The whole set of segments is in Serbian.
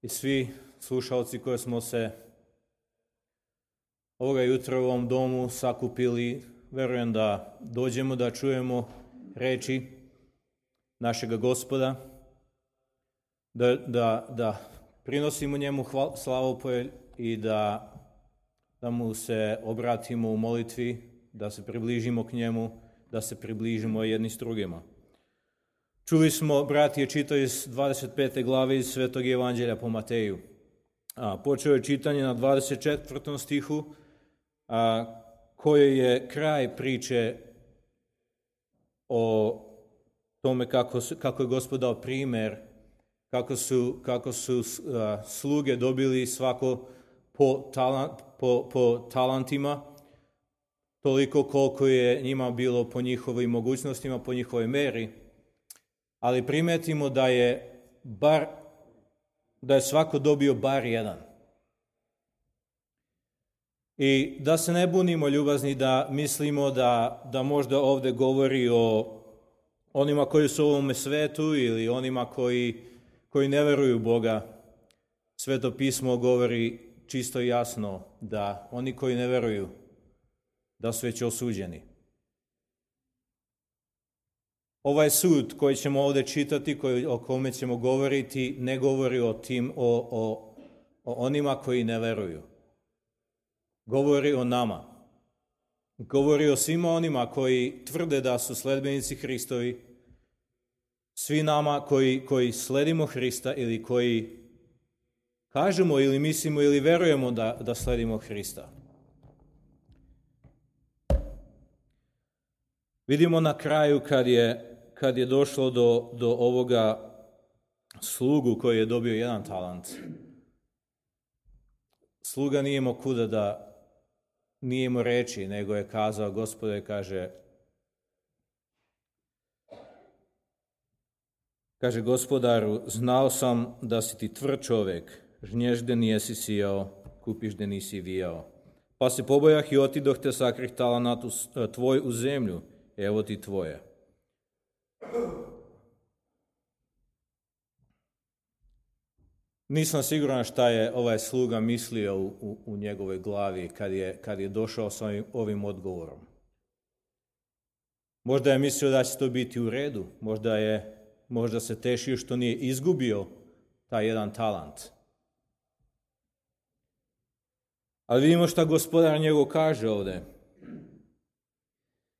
i svi slušalci koji smo se ovoga jutra u ovom domu sakupili, verujem da dođemo da čujemo reči našega Gospoda, da prinosimo njemu slavopolje i da mu se obratimo u molitvi, da se približimo k njemu, da se približimo jedni s drugima. Čuli smo, brat je čitao iz 25. glave iz Svetog Evanđelja po Mateju. Počeo je čitanje na 24. stihu, koje je kraj priče o tome kako je Gospod dao primer, kako su sluge dobili svako po talentima, toliko koliko je njima bilo po njihovim mogućnostima, po njihovoj meri, ali primetimo da je svako dobio bar jedan. I da se ne bunimo, ljubazni, da mislimo da možda ovdje govori o onima koji su u ovome svetu ili onima koji ne veruju u Boga. Sveto pismo govori čisto i jasno da oni koji ne veruju da su već osuđeni. Ovaj sud koji ćemo ovdje čitati, o kome ćemo govoriti, ne govori o onima koji ne veruju. Govori o nama. Govori o svima onima koji tvrde da su sledbenici Hristovi, svi nama koji sledimo Hrista ili koji kažemo ili mislimo ili verujemo da sledimo Hrista. Vidimo na kraju kad je došlo do ovoga slugu koji je dobio jedan talant. Sluga nije imao kuda nije imao reći, nego je kazao, Gospode, kaže Gospodaru, znao sam da si ti tvrd čovjek, žnješ gdje nisi sijao, kupiš gdje nisi vijao. Pa se pobojah i otidoh te sakrih talenat tvoj u zemlju, evo ti tvoje. Nisam siguran šta je ovaj sluga mislio u njegovoj glavi kad je došao s ovim odgovorom. Možda je mislio da će to biti u redu, možda se tešio što nije izgubio taj jedan talant. Ali vidimo šta gospodar njegov kaže ovdje.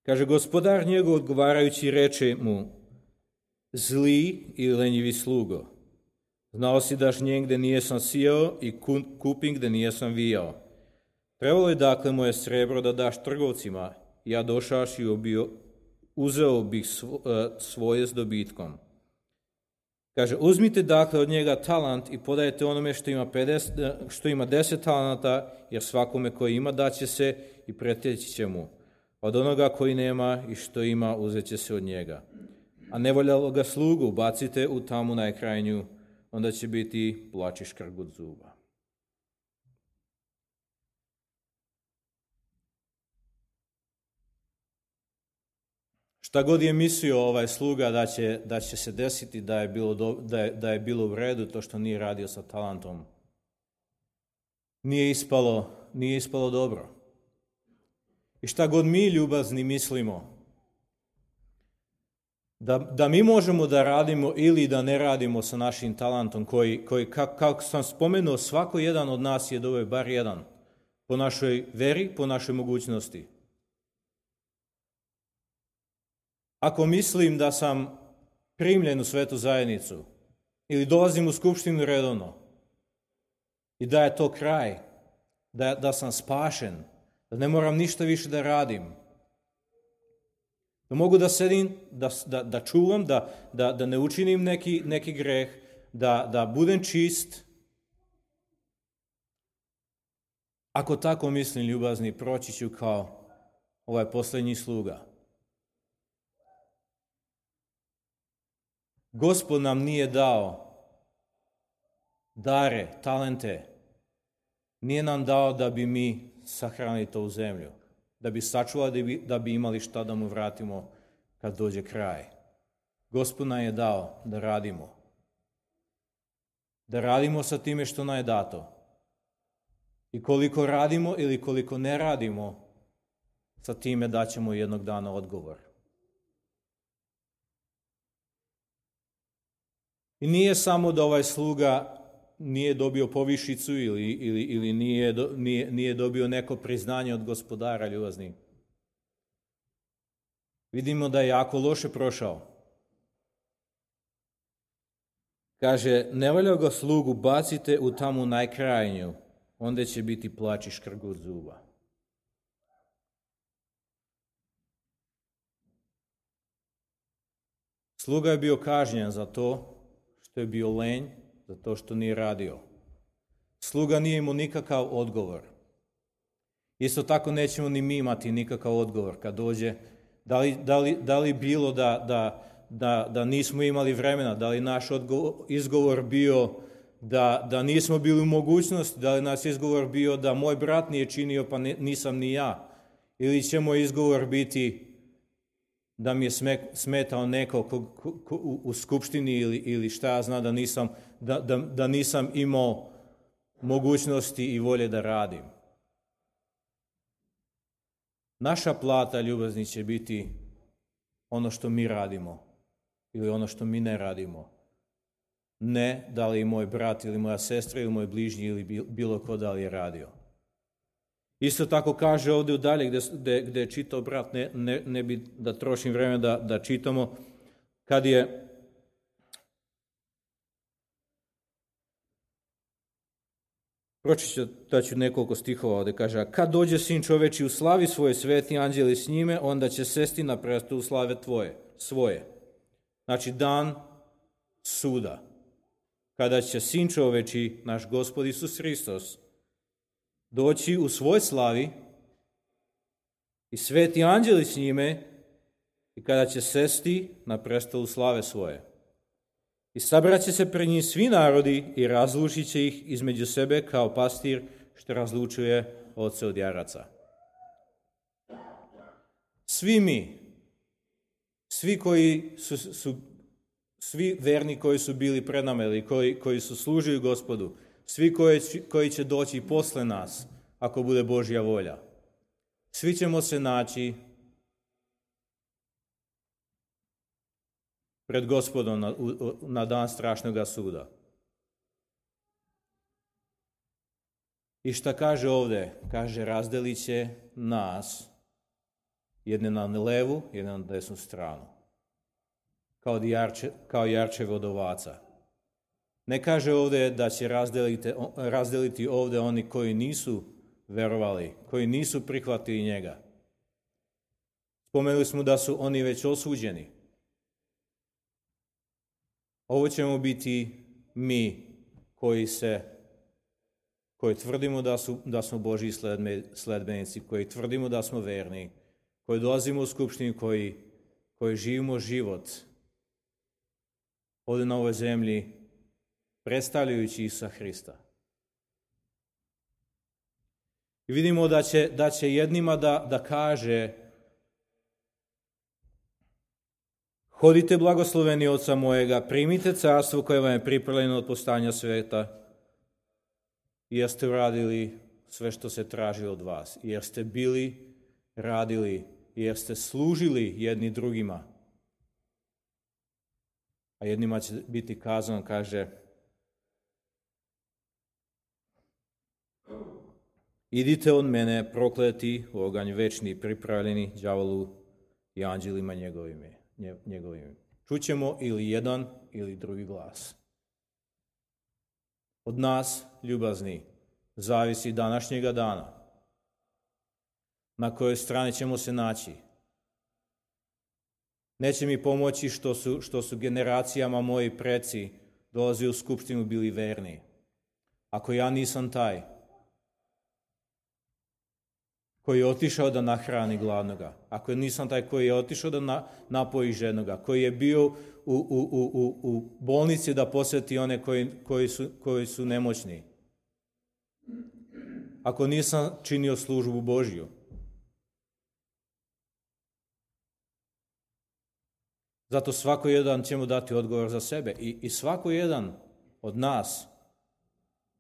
Kaže, gospodar njegov odgovarajući reče mu, zli i lenjivi slugo, znao si da žnjem gdje nijesam sijao i kupim gdje nijesam vijao. Trebalo je dakle moje srebro da daš trgovcima, ja došaš i uzeo bih svoje s dobitkom. Kaže, uzmite dakle od njega talant i podajte onome što ima 10 talenata, jer svakome koji ima daće se i preteći će mu. Od onoga koji nema i što ima uzet će se od njega. A nevoljalo ga slugu bacite u tamu najkrajnju, onda će biti plač i škrgut zuba. Šta god je mislio ovaj sluga da će se desiti da je bilo u redu to što nije radio sa talentom, nije ispalo dobro. I šta god mi, ljubazni, mislimo, da mi možemo da radimo ili da ne radimo sa našim talentom koji kako sam spomenuo, svako jedan od nas je dobio bar jedan, po našoj veri, po našoj mogućnosti. Ako mislim da sam primljen u svetu zajednicu ili dolazim u skupštinu redovno i da je to kraj, da sam spašen, da ne moram ništa više da radim, da mogu da sedim, da čuvam, da ne učinim neki greh, da budem čist. Ako tako mislim, ljubazni, proći ću kao ovaj posljednji sluga. Gospod nam nije dao dare, talente, nije nam dao da bi mi sahranili to u zemlju, da bi sačuvali, da bi imali šta da mu vratimo kad dođe kraj. Gospod nam je dao da radimo. da radimo sa time što nam je dato. I koliko radimo ili koliko ne radimo, sa time daćemo jednog dana odgovor. I nije samo da ovaj sluga nije dobio povišicu ili nije dobio neko priznanje od gospodara, ljubazni. Vidimo da je jako loše prošao. Kaže, ne valja ga slugu bacite u tamu najkrajnju, onda će biti plač i škrgut zuba. Sluga je bio kažnjen za to što je bio lenj, za to što nije radio. Sluga nije imao nikakav odgovor. Isto tako nećemo ni mi imati nikakav odgovor kad dođe. Da li bilo da nismo imali vremena, da li naš izgovor bio da nismo bili u mogućnosti, da li naš izgovor bio da moj brat nije činio pa nisam ni ja, ili će moj izgovor biti da mi je smetao neko u skupštini ili šta ja znam da nisam imao mogućnosti i volje da radim. Naša plata, ljubazni, će biti ono što mi radimo ili ono što mi ne radimo. Ne da li moj brat ili moja sestra ili moj bližnji ili bilo ko da li je radio. Isto tako kaže ovdje dalje gdje je čitao brat, ne bi da trošim vreme da čitamo, kad je pročitaću nekoliko stihova ovdje, kaže, a kad dođe sin čoveči u slavi svoje, sveti anđeli s njime, onda će sesti na prestolu slave svoje. Znači dan suda. Kada će sin čoveči, naš Gospod Isus Hristos, doći u svoj slavi i sveti anđeli s njime i kada će sesti na prestolu slave svoje. I sabraće se pred njim svi narodi i razlučit će ih između sebe kao pastir što razlučuje ovce od jaraca. Svi mi, svi verni koji su bili pred nama ili koji su služili Gospodu, svi koji će doći posle nas, ako bude Božja volja, svi ćemo se naći pred Gospodom na dan strašnoga suda. I šta kaže ovdje? Kaže, razdelit će nas jedne na levu, jedne na desnu stranu. Kao jarčeve od ovaca. Ne kaže ovdje da će razdeliti ovdje oni koji nisu verovali, koji nisu prihvatili njega. Spomenuli smo da su oni već osuđeni. Ovo ćemo biti mi koji tvrdimo da smo Božji sledbenici, koji tvrdimo da smo verni, koji dolazimo u skupštinu, koji živimo život ovdje na ovoj zemlji, predstavljajući Isusa Hrista. I vidimo da će jednima da kaže, hodite blagosloveni Oca mojega, primite carstvo koje vam je pripremljeno od postanja sveta, jer ste uradili sve što se traži od vas, jer ste bili, radili, jer ste služili jedni drugima. A jednima će biti kazano, kaže, idite od mene, prokleti, u oganj večni, pripravljeni đavolu i anđelima njegovim. Čućemo ili jedan ili drugi glas. Od nas, ljubazni, zavisi današnjega dana. Na kojoj strani ćemo se naći. Neće mi pomoći što su generacijama moji preci dolazili u skupštinu bili verni. Ako ja nisam taj koji je otišao da nahrani gladnoga, ako nisam taj koji je otišao da napoji žednoga, koji je bio u bolnici da posjeti one koji su nemoćni, ako nisam činio službu Božju. Zato svako jedan ćemo dati odgovor za sebe i svako jedan od nas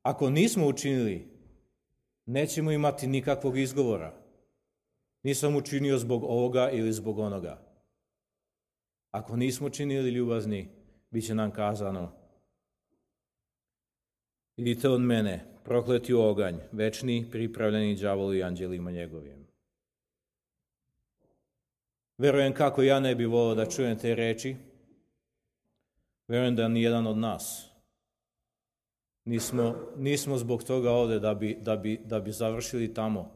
Ako nismo učinili, nećemo imati nikakvog izgovora. Nisam učinio zbog ovoga ili zbog onoga. Ako nismo činili ljubazni, bit će nam kazano: idite od mene, prokleti u oganj, večni, pripravljeni đavolu i anđelima njegovim. Verujem kako ja ne bi volio da čujem te reči. Verujem da nijedan od nas nismo zbog toga ovde da bi završili tamo,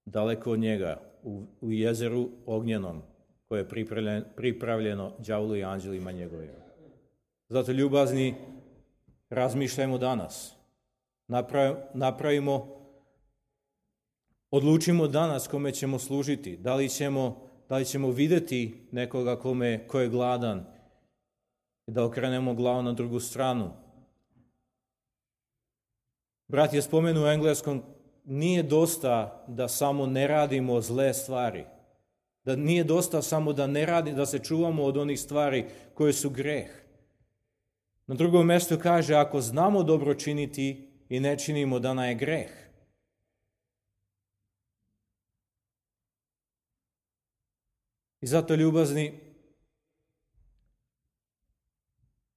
daleko od njega, u jezeru ognjenom, koje je pripravljeno đavolu i anđelima njegovim. Zato, ljubazni, razmišljajmo danas. Odlučimo danas kome ćemo služiti. Da li ćemo vidjeti nekoga ko je gladan i da okrenemo glavu na drugu stranu. Brat je spomenuo u engleskom, nije dosta da samo ne radimo zle stvari. Da nije dosta samo da se čuvamo od onih stvari koje su greh. Na drugom mjestu kaže, ako znamo dobro činiti i ne činimo, da nam je greh. I zato, ljubazni,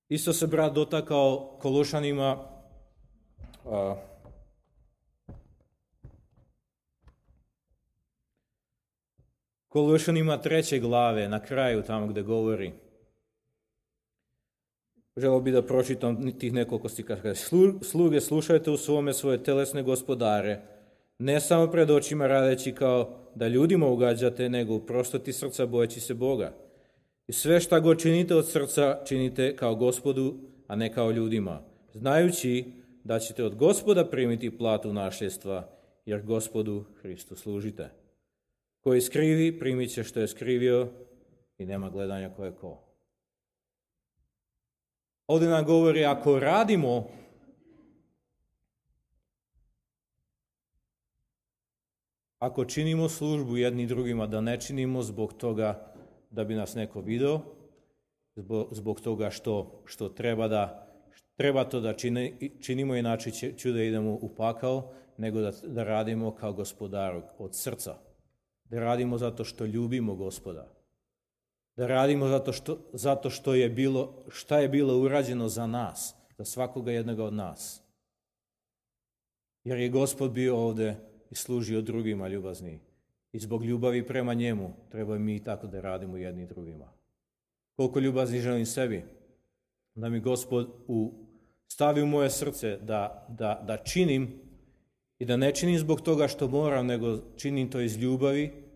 isto se brat dotakao Kološanima, Kološanima 3. glave, na kraju tamo gdje govori. Želio bi da pročitam tih nekoliko stihova. Sluge, slušajte u svome svoje telesne gospodare, ne samo pred očima radeći kao da ljudima ugađate, nego u prostoti srca bojeći se Boga. I sve šta god činite od srca, činite kao Gospodu, a ne kao ljudima, znajući da ćete od Gospoda primiti platu nasljedstva, jer Gospodu Hristu služite. Koji skrivi, primit će što je skrivio i nema gledanja ko je ko. Ovdje nam govori, ako radimo, ako činimo službu jedni drugima, da ne činimo zbog toga da bi nas neko vidio, zbog toga što treba to da činimo, inače ću da idemo u pakao, nego da radimo kao Gospodar od srca. Da radimo zato što ljubimo Gospoda. Da radimo zato što je bilo urađeno za nas, za svakoga jednoga od nas. Jer je Gospod bio ovdje i služio drugima, ljubazni. I zbog ljubavi prema njemu treba mi tako da radimo jedni drugima. Koliko ljubazni želim sebi, da mi Gospod stavi u moje srce da činim i da ne činim zbog toga što moram, nego činim to iz ljubavi.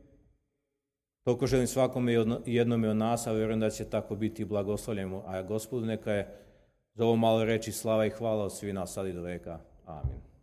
Toliko želim svakome i jednome od nas, a vjerujem da će tako biti blagoslovljeno. A Gospodu neka je za ovo malo reći slava i hvala od svih nas sad i do veka. Amin.